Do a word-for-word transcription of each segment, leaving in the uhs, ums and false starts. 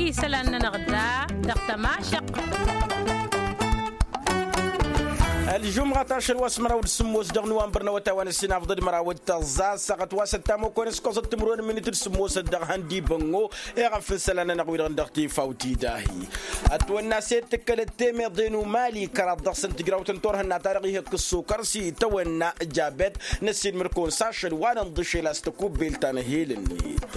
Isălan-nănăɣ da dăɣ-tămašăq. Ălžumɣăt ašăl wa s-măraw d-sǝmmos dăɣ-nuwanbăr n-awătay wa n-ăssinafḍăd măraw d-tăẓẓa s-săɣăt wa s-ăttamăkon s-kăẓăt timǝrwen n-minit d-sǝmmosăt dăɣ-ihăndibăngo. Iɣăf n-isălan-nănăɣ-wi-dăɣ dăɣ-tifawt idahi ătwănna s-e d-tǝkkălăt temeḍe n-umali kăraḍ dăɣ-săn tǝjrawt n-turhǝnna-ta-dăɣ ihǝkk ǝssukăr s-itawănna jabet. Năssiilmăr-kăwăn s-ašăl wa n-ǝnḍǝšel a-s tăkubbelt ta n-ehel-net.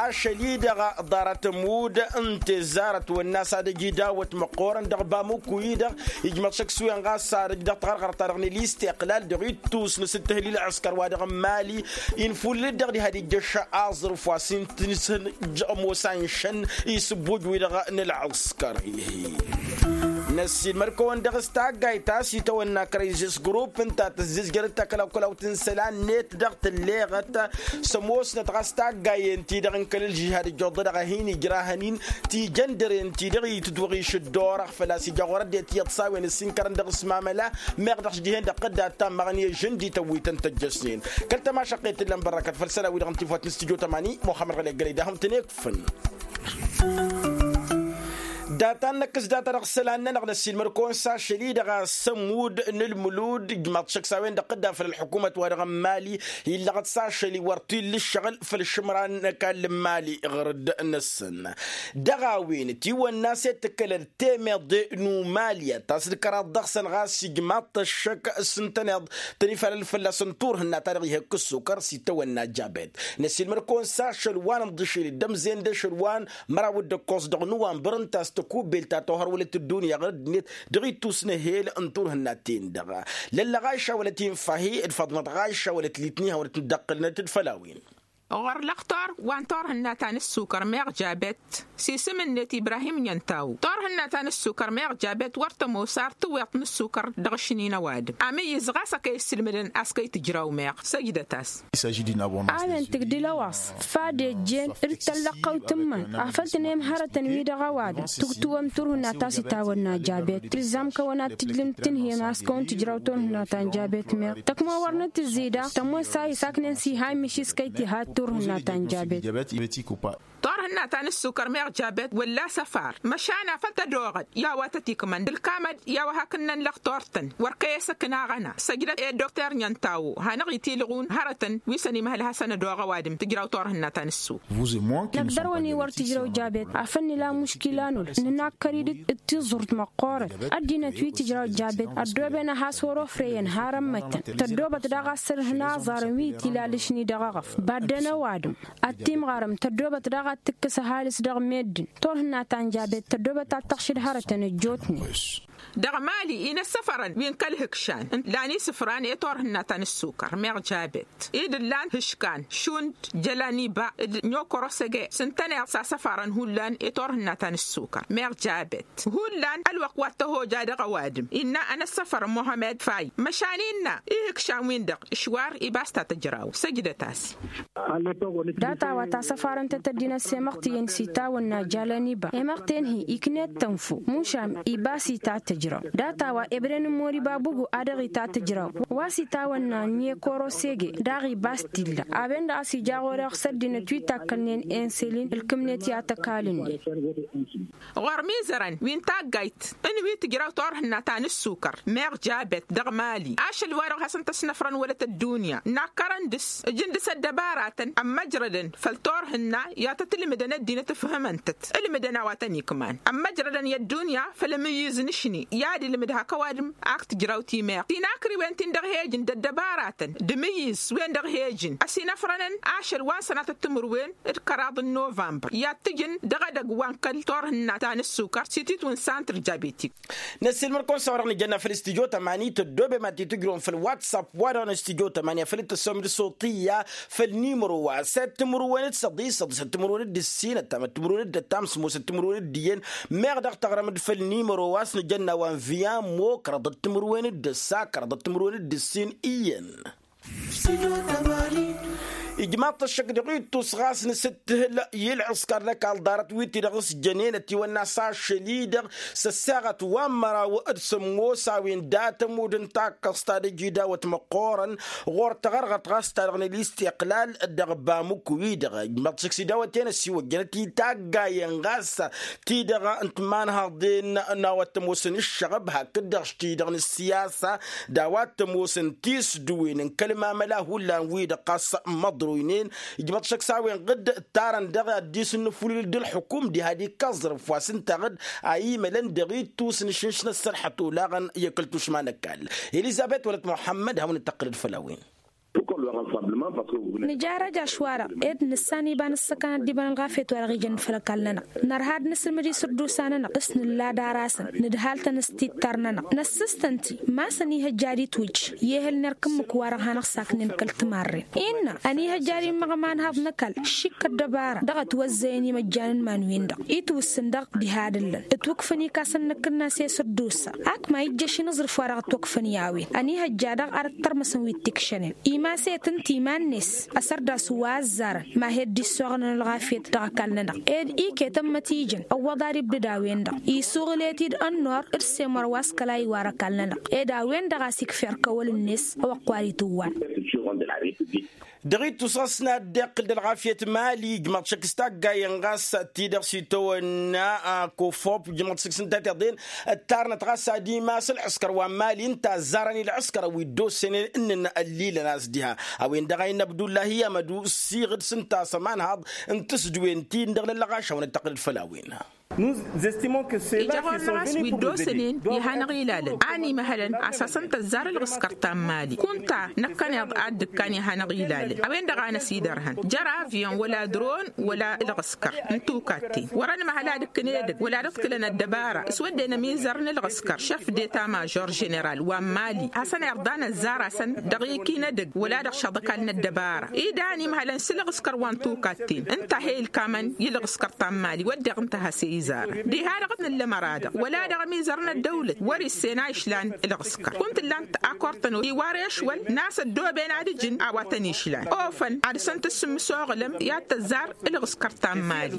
Ašăl-i-dăɣ ḍarăt ămudd n-tezzar ătwănna s-ad-ăj idawăt măqqoorăn dăɣ-bamuku-i-dăɣ. Ijmăḍ šăkk s-wen ɣas ad-ăj dăɣ-taɣărɣărt-ta-dăɣ n-ilistiqlal dăɣ-ittus n-asǝttǝhǝl i-ălɣǝskăr wa dăɣ-n-mali. Infulǝl-dd dăɣ-diha d-ijjăš aẓrǝf wa s-intǝnsăn ămoos anšăn isǝbbuj-wi-dăɣ n-ălɣǝskăr. Năssiilmăd-kăwăn dăɣ-s taggayt ta s-itawănna kărăyzes grupp ǝnta tǝzzǝzjărăt takălawkălawt n-isălan-net dăɣ-tǝlleɣăt. S-ămoosnăt ɣas taggayen-ti-dăɣ n-kăl-ǝlžihad ǝjjuḍăd dăɣ-ad-hin-i ǝjrahăn-in tijăndăren-ti-dăɣ itǝtwăɣiš dd-orăɣ făl-a-s ija ɣur-ăddinăt iyyăḍ s-a-wen ǝssin kărăn dăɣ-s mamăla. Meɣ dăɣ-s dihen-dăɣ dd-ad-tammăɣăn i-ažǝndi tăwwităn tăjjăsnen. Kăl-tămašăqqe t-tǝllăm bărrăkăt făll-isălan-wi-dăɣ n-tifawt n-studyo tămani muxămmăd ɣălek gălăy d-ahǝm tăn-ekfǝn. Data-năk s-data dăɣ-isălan-nănăɣ năssiilmăr-kăwăn s-ašăl-i-dăɣ a-s ămudd n-ǝlmǝlud ijmaḍ šăkk s-a-wen-dăɣ dd-afăl ălḥukumăt wa dăɣ-n mali. Illăɣăt s-ašăl-i wăr t-illa ǝššăɣǝl făll-išǝmran n-ăkall n-mali ɣǝrǝd-năsăn. Dăɣ-a-wen ătiwănna s-e d-tǝkkălăd temeḍe n-umali a ta s-dd-kăraḍ dăɣ-săn ɣas ijmaḍ-t ăššăk s-ǝntăneḍ tăn-ifalăl fălla-săn turhǝnna ta dăɣ-ihăkk ǝssukăr s-itawănna jabet. Năssiilmăr-kăwăn s-ašăl wa n-ǝnḍǝšel d-ămzen d-ašăl wa n-măraw d-ǝkkoẓ dăɣ-nuwanbăr ǝnta a-s tăkubbelt ta tohărwălăt ăddunya ɣărăd-net dăɣ-ittus n-ehel n-turhǝnna-ten-dăɣ. Lăllăɣ ašawălăt infahi d-faḍmăt ɣašawălăt litniha wălăt n-dd-ăqqǝlnăt d-făll-a-wen. Ɣur-lăxtor wa n-turhǝnna ta n-ǝssukăr meɣ jabet s-isǝm-net ibrahim n-entaw turhǝnna ta n-ǝssukăr meɣ jabet wăr tămoos ar tǝwweḍt n-ǝssukăr dăɣ-ašnin ăwadǝm amǝyyǝz ɣas a kăy-issǝlmǝdăn a-s kăy-tǝjraw meɣ. Săjdăt-as. A-wen tǝgdǝl ăwaṣ fad ejjen d-tăllăɣ kăwt-ǝmmăn afăl tǝnem hărătăn-wi-dăɣ ăwadǝm tǝgtǝwăm turhǝnna ta s-itawănna jabet tǝlzam kăwăn ad-tǝjlǝm tǝnhǝyăm a-s kăwăn-tǝjraw turhǝnna ta n-jabet meɣ tăkmăwăr n-tǝzzida tămoos a isaknen s-iha imǝšis kăy-tiha d-turhǝnna ta n-jabet. Turhǝnna ta n-ǝssukăr meɣ jabet wălla-s ăfar măšan afăl tădoɣăd i-a-wa tăt-ikmăn d-ǝlkamăd i-a-wa hakd n-ănlăɣ tortăn wăr kăy-esăkna aɣăna săjdăt i-dd-okter n-entawo hanăɣ-itilɣun hărătăn wi săn imhăl hasăn-ădoɣ ăwadǝm tǝjraw turhǝnna ta n-ǝssuk. Năkk dăr-wăn-i wăr tǝjraw jabet afăl nǝla muškila n-ul nǝnakkăr-dd d-tiẓurt măqqoorăt ăddinăt wi tǝjraw jabet ăddooben a has-wăr-ofreyăn har ămmăttăn tăddoobăt daɣ a-s tărhǝn aẓarăn wi t-ila lǝšni dăɣ-eɣăf baddăn ăwadǝm ad-t-imɣarăm tăddoobăt daɣ ad-tǝkkǝs ăhalǝs dăɣ-meddǝn turhǝnna ta n-jabet tăddoobăt ad-tăɣšǝd hărătăn ăjjootnen. Dăɣ-mali inăssăfărăn wi n-kăl-ihǝkšan ǝnta lan isǝfran i-turhǝnna ta n-ǝssukăr meɣ jabet i-dd-ǝllan hǝškan šund jălaniba d-nyokorosege s-ǝntăneḍ s-asăfarăn hullan i-turhǝnna ta n-ǝssukăr meɣ jabet. Hullan ălwăqq wa t-tăhoja dăɣ-ăwadǝm innă ănăssăfărăn muhămmed fay măšan innă ihǝkšan-win-dăɣ ǝšwar ibas ta tǝjraw săjdăt-as. Data-wa ta săfarăn-tăt ăddinăt s-emăɣtǝyăn s-itawănna jalăn iba emăɣten-hi iknet tănfo mušam ibas itatăjraw data-wa ebren n-moriba bugu a dăɣ-itatăjraw wa s-itawănna n-ekoro sege daɣ ibas t-illa a-wen-dăɣ a-s ija ɣur-eɣ s-ăddinăt wi takkălnen enselin ǝlkǝmnet i-ad-tăkalǝnnen. Ɣur-mizărăn wi n-taggayt n-wi tǝjraw turhǝnna ta n-ǝssukăr meɣ jabet dăɣ-mali ašăl-wa-dăɣ hasăn-tăsnăfrăn wălăt ăddunya nakkărăn dăɣ-s ǝjǝn dăɣ-s ăddăbaratăn ămmăjrădăn făll-turhǝnna i-ad-tăt-ǝlmǝdăn ăddinăt ǝfhǝmăn-tăt ǝlmǝdăn a-wa tăn-ikman ămmăjrădăn i-ăddunya făll-amǝyyǝz n-ašni i-ad-ilmǝd hak ăwadǝm ak tǝjraw timeɣ tinakriwen-tin-dăɣ he-ǝjǝn d-ăddăbaratăn d-amǝyyǝz-wen-dăɣ he-ǝjǝn ăsinăfrănăn ašăl wa n-sănatăt timǝrwen d-kăraḍ n-novămbăr i-ad-t-ǝjǝn dăɣ-edăgg wa n-kăl-turhǝnna ta n-ǝssukăr s-ititwǝn santr diabetik. Năssiilmăr-kăwăn s-a-wa-dăɣ nǝjănna făll-studyo tămani tăddoobem ad-t-tǝjrǝwăm făll-whatsapp wa-dăɣ n-studyo tămani afăl dd-tăssăwăm d-soṭiya făll-nimăro wa săt timǝrwen d-săḍi săḍi săt timǝrwen d-ǝssin ăttam d-timǝrwen d-ăttam s-ămoosăt timǝrwen d-iyyăn. Meɣ dăɣ-taɣrăm-dd făll-nimăro wa s-nǝjănna wa n-viyamo kăraḍăt timǝrwen d-ǝssa kăraḍăt timǝrwen d-ǝssin iyyăn. Ijmaḍ-t ăššăk dăɣ-ittus ɣas nǝsǝttǝhǝl i-ǝlɣǝskăr n-ăkall ḍarăt wi-ti-dăɣ s-jănen ătiwănna s-ašăl-i-dăɣ s-ăssaɣăt wa n-măraw d-sămmos a-wen dat-ămudd n-takkăẓt ta d-ăjidawăt măqqoorăn ɣur-taɣărɣărt ɣas ta dăɣ-năl istiqlal dăɣ-bamuk-wi-dăɣ. Ijmaḍ-t šăkk s-idawăt-en ăssiwăjjănăt i-taggayen ɣas ti-dăɣ n-timanhaḍen n-a-wa t-ămoosăn ǝššăɣăb hakd-dăɣ ti-dăɣ n-ǝssiyasa d-a-wa t-ămoosăn tisdǝwen n-kăl-mamăla hullan-wi-dăɣ ɣas măḍruynen. Ijmăḍ šăkk s-a-wen ɣǝdd ǝttarăn dăɣ-addis n-inǝfulǝl d-ǝlxǝkum diha d-ikka aẓrǝf wa s-ǝnta ɣǝdd a imălăn dăɣ-ittus n-išǝnš n-ăssărxăt olaɣăn i-kăl tušma n-ăkall. Elizăbet wălăt muḥămmăd hawăn-dd-tăqqǝlăd făll-a-wen. Nǝjarrăj ašwara ed nǝssan iba n-ǝssăkăn ăddibăn ălɣafyăt wa dăɣ-ijăn făll-ăkall-nănăɣ. Nărha ad-nǝsǝlmǝd isǝrdusa-nănăɣ s-nǝlla d-arasăn nǝdhal-tăn s-tittar-nănăɣ năssǝstăn-ti ma-s ănihăjja ad-itwǝjj i-ehăl n-erk ǝmmǝk-wa-dăɣ hanăɣ-saknen kăl-timarren. Innă ănihăjja ad-immăɣ imanhaḍ n-ăkall šik ăddăbara dăɣ-ătwăzzăyăn imăjjan n-iman-win-dăɣ itwǝssǝn dăɣ-diha d-ǝllăn ǝtwǝkfăn ikasăn-năk ǝnnas i-isǝrdusa. Ak ma ijjăš inǝẓrǝf wa dăɣ-ătwăkfăn i-a-wen ănihăjja daɣ ad-ăttărmăsăn wi t-ikšănen imaset ǝnta iman-net. Asărdas wa ăzzarăn ma he-dd-issoɣălăn ălɣafyăt dăɣ-ăkall-nănăɣ ed iket ămmăt ijăn ăwwăḍ ad-ibdǝd a-wen-dăɣ isuɣǝl-e-t-dd ănnor d-semăr wa s-kăla iwar ăkall-nănăɣ ed a-wen-dăɣ a-s ikfer kăwăl-net. Ăwăqq wa d-itǝwwan. Dăɣ-ittus ɣas n-ad-dd-iqqǝl d-ălɣafyăt mali ijmăḍ šăkk s-taggayen ɣas ti-dăɣ s-itawănna kofop ijmăḍ šăkk s-ǝnta tiḍen ǝttarnăt ɣas ad-imas ǝlɣǝskăr wa n mali ǝnta ăzzarăn i-ǝlɣǝskăr wi dd-osănen ǝnnǝn ăllilăn a-s diha. A-wen-dăɣ a innă abdullahi amădu ǝssiɣǝd s-ǝnta a-s ămanhaḍ n-tǝsdǝwen-ti-dăɣ n-ăllăɣaš hawăn-dd-tăqqǝlăd făll-a-wen. Ija ɣur-năɣ a-s wi dd-osănen i-hanăɣ-ilalăn a n-imăhălăn a-s hasăn-tăzzar ǝlɣǝskăr ta n-mali kunta năkkăneḍ ad-dd-ǝkkan i-hanăɣ-ilalăn a-wen-dăɣ a năsidărhăn jer-avyon wăla dron wăla ǝlɣǝskăr n-tukatten wăr-ănmăhăl ad-ǝkkǝn edăgg wăla ad-ǝḍkǝlăn ăddăbara s-wădden ămizăr n-ǝlɣǝskăr šăf d-eta mažor ženeral wa n-mali hasăn-irḍa năzzar-asăn dăɣ-ikinădăgg wăla dăɣ-šăḍăkal n-ăddăbara ida a n-imhălăn s-ǝlɣǝskăr wa n-tukatten ǝnta he-ilkamăn i-ǝlɣǝskăr ta n-mali wădden ǝnta has-e-izarăn diha-dăɣ t-nǝllăm ăra-dăɣ wăla dăɣ-ămizăr n-ăddăwlăt wăr-issen a išlan ǝlɣǝskăr kunta ǝllan-t akortăn iwar ešwăl n-a-s ăddooben ad-ǝjǝn a-wa tăn-išlan ofăn ad-săn-tǝssǝmmǝsoɣǝlăm i-ad-tăzzar ǝlɣǝskăr ta n-mali.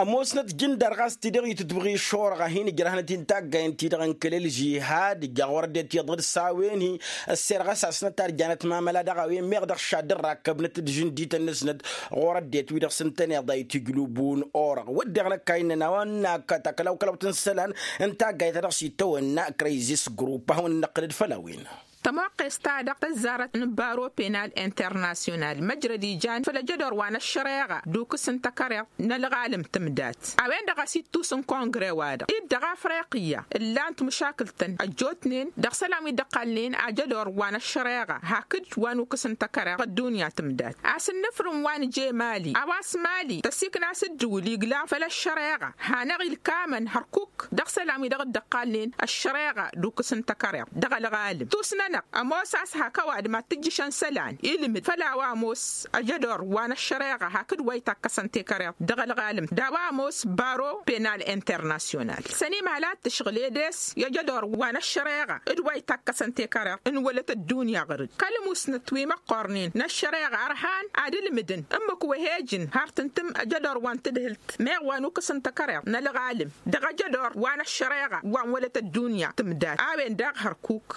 Ămoosnăt jǝndar ɣas ti-dăɣ itǝtwăɣ išorăɣ a hin-ǝjrăhnăt-in taggayen-ti-dăɣ n-kăl-ălžihad ǝjjaɣ wăr ăddinăt iyyăḍ d-s-a-wen-hi ăssirɣas asnăt ad-janăt mamăla dăɣ-a-wen meɣ dăɣ-šad dd-rakkăbnăt d-žǝndităn-năsnăt ɣur-ăddinăt wi-dăɣ s-ǝntăneḍ a itǝjlǝbun orăɣ wădden ăkk a innăn a-wa n-akk takălawkălawt n-isălan n-taggayt ta dăɣ-s itawănna krăyzis grupp a hawăn-năqqǝlăd făll-a-wen. Tămoqqes-ta-dăɣ tăzzarăt n-baro penal internasyonal măjrăd ijan făll-ejădor wa n-ăššăreɣa d-ukǝs n-takăreḍt n-ălɣalăm tǝmdat a-wen-dăɣ a-s ittus n-kongre-wa-dăɣ-dd dăɣ-afriqya ǝllan-t măšakǝl-tăn ăjjootnen dăɣ-isălan wi dd-ăqqalnen ajădor wa n-ăššăreɣa hakd wa n-ukǝs n-takăreḍt dăɣ-ăddunya tǝmdat a-s ǝnnǝfrǝm wa n-je mali a-wa s-mali tăsikna s-ǝddǝwǝl iglan făll-ăššăreɣa hanăɣ-ilkamăn hărkuk dăɣ-isălan wi dăɣ-dd-ăqqalnen ăššăreɣa d-ukǝs n-takăreḍt dăɣ-ălɣalăm tus-nănăɣ ămoos a-s hak ăwadǝm ad-t-ǝjjǝšăn isălan ilmǝd făll-a-wa ămoos ăjădor wa n-ăššăreɣa hakd wa itakkăsăn tekăreḍt dăɣ-ălɣalăm d-a-wa ămoos baro penal internasyonal s-ănimhăl ad-t-ǝšɣǝl edes i-ăjădor wa n-ăššăreɣa d-wa itakkăsăn tekăreḍt n-wălăt ăddunya ɣăr-dd kăl-musnăt wi măqqornen n-ăššăreɣa ărhan ad-ǝlmǝdăn ǝmmǝk wa he-ǝjǝn har tǝntǝm ăjădor wa n-tǝdhǝlt meɣ wa n-ukǝs n-takăreḍt n-ălɣalăm dăɣ-ejădor wa n-ăššăreɣa wa n-wălăt ăddunya tǝmdat a-wen daɣ hărkuk.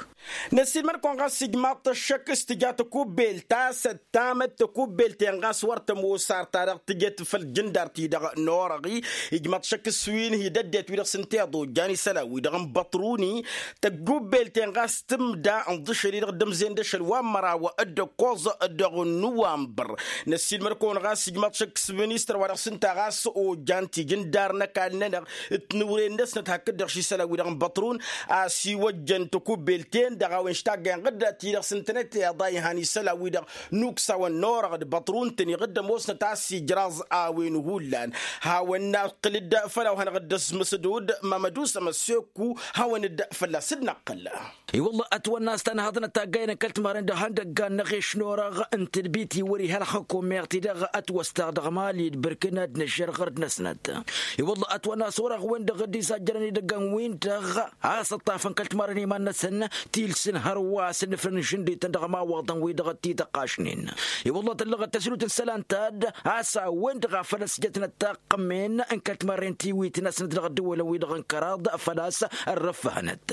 Năssiilmăd-kăwăn ɣas ijmaḍ-t ăššăk s-tǝja tăkubbelt a-s ăttamăt tăkubbelt-en ɣas wăr tămoos ar ta dăɣ-tǝjăt făll-jǝndar-ti-dăɣ n-orăɣ-i. Ijmaḍ-t šăkk s-wi n-hi-dăddinăt wi-dăɣ s-ǝnta iḍojjan isălan-wi-dăɣ n-băṭruni tăkubbelt-en ɣas tǝmda ǝnḍǝšăl-i-dăɣ d-ămzen d-ašăl wa n-măraw d-ǝkkoẓ dăɣ-nuwambăr. Năssiilmăd-kăwăn ɣas ijmaḍ-t šăkk s-ministăr wa dăɣ-s ǝnta ɣas ojan tijǝndar n-ăkall-nănăɣ d-tinǝwren-năsnăt hakd-dăɣ šisălan-wi-dăɣ n-băṭrun a-s iwăjjăn tăkubbelt-en-dăɣ a-wen š-taggăyăn ɣǝdda ti-dăɣ s-ǝntănăt iḍa ihan isălan-wi-dăɣ n-uksawăn n-orăɣ d-băṭrun-tăn iɣǝdda ămoosnăt a-s ijraẓ a-wen hullan. Hawăn-năqqǝl-dd făll-a-wa hanăɣ-dd-ăsmǝsǝd-dd mămădus ămăsseku hawăn-dd fălla-s dd-năqqǝl. I-wălla ătwănna a-s tanhăḍnăt taggayen n-kăl-timarăn d-ihăndăggan n-eɣeš n-orăɣ n-tadbit-i wăr-iha ălxǝkum meɣ ti-dăɣ ătwăstăɣ dăɣ-mali d-bărkǝn ad-nǝžžăr ɣărd-năsnăt. I-wălla ătwănna a-s orăɣ-wen-dăɣ dd-izajjărăn idăggan-win-dăɣ a-s ǝṭṭafăn kăl-timarăn iman-năsăn tilsǝn hărwa. wa s-ǝnnǝfrăn n-išǝndităn dăɣ-ămawaḍăn-wi-dăɣ t-ităqqašnen. I-wălla tăllăɣăt tăslut n-isălan ta d-a-s a-wen-dăɣ a făl ăsjătnăt taqqămen n-kăl-timarren tiwitnăsnăt dăɣ-ăddăwălăn-wi-dăɣ n-kăraḍ făl-a-s ărrăffăhănăt.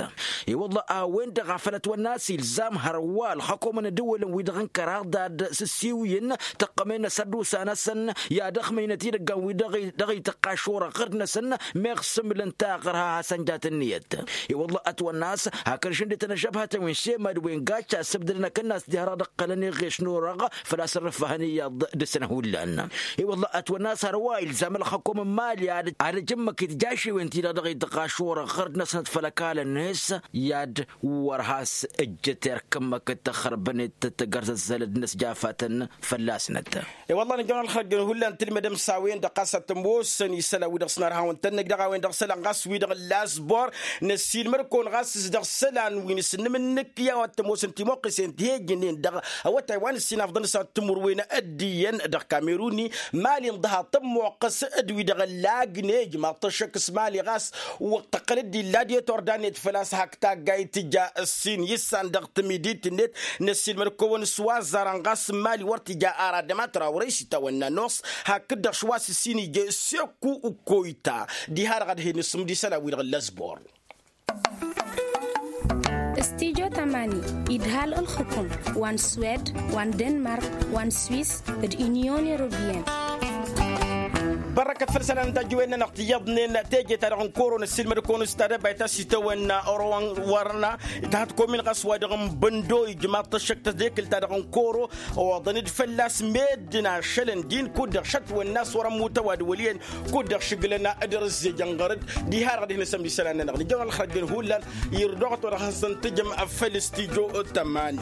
I-wălla a-wen-dăɣ a făl ătwănna a-s ilzam hărwa ălxăkomăn ăddăwălăn-wi-dăɣ n-kăraḍ ad-sǝssiwǝyǝn tăqqămen n-asărdusa-năsăn i-ad-ăxmăynăt idăggan-wi-dăɣ dăɣ-ităqqaš orăɣ ɣǝrd-năsăn meɣ s-ǝmlǝn taɣăr ha hasăn jat ǝnniyăt. I-wălla ătwănna a-s hakd ašǝndităn ăžžăbhătăn wi n-semad wi n-gacca ăssǝbdădăn akănnas diha-dăɣ d-ǝqqălăn iɣeš n-orăɣ făl-a-s ărrǝffăhăn iyyăḍ dăr-săn hullan. I-wălla ătwănna a-s hărwa ilzam ălxăkom n-imali ad-ăjǝmmăk itjašewen-ti-dăɣ dăɣ-ităqqaš orăɣ ɣǝrd-năsnăt făll-ăkall-net i-ad-wăr has-ǝjjǝt erk ǝmmǝk d-tăxxărbănet tăggărzăzzălăd n-ăsjafatăn fălla-snăt. I-wălla nǝjăwăn ălxăjjăn hullan tǝlmădăm s-a-wen-dăɣ ɣas ad-tămoosăn isălan-wi-dăɣ s-nărha a-wen-tăn-năj dăɣ-a-wen-dăɣ isălan ɣas wi-dăɣ n-lazbor. Năssiilmăd-kăwăn ɣas s-dăɣ isălan wi n-asǝnnǝm-nǝk i-a-wa t-ămoosăn timuqqisen ti hejǝnnen dăɣ-awătay wa n-ǝssin afḍăn s-ad-timǝrwen ăddiiyyăn dăɣ-kameruni. Mali n-dăha tămmoqqăs d-wi-dăɣ ăllagnen ijmaḍ-t ăššăk s-mali ɣas wăr tăqqăl-dd illa d-e-turda-net făl-a-s hak taggayt tǝja ǝssin issan dăɣ-timidit-net. Năssiilmăd-kăwăn s-wa ăzzarăn ɣas n-mali wăr tǝja ara dămatăra wăr-e-s itawănna noɣs hakd-dăɣ šwa s-ǝssin ije s-ekku. Koyta diha-dăɣ ad-hin-isǝmd isălan-wi-dăɣ n-lăzbor. Stijo tamani idhal ǝlxǝkum wa n-swed wa n-denmark wa n-swis d-inyon europiyăn. Bărrăkăt făll-isălan n-tajǝwen-nănăɣ tǝyyăḍnen teje-ta-dăɣ n-koro năssiilmăd-kăwăn s-tadăbayt a-s itawănna orowăn wărna. Ităhăt komin ɣas wa dăɣ-n băndo ijmaḍ-t ăššăk tădekǝlt-ta-dăɣ n-koro. Oḍăn-dd fălla-s meddǝn ašălăn din kud-dăɣ šătwănna a-s wăr-ămmut ăwadǝwăl iyyăn kud-dăɣ šǝglăn. Dăr-ǝzzejăn ɣăr-dd diha-dăɣ ad-hin-isămd isălan-nănăɣ nǝjăwăn ălxărjăn hullan. Irdoɣăt wa dăɣ-hasăn-tǝjăm făll-stijo tămani.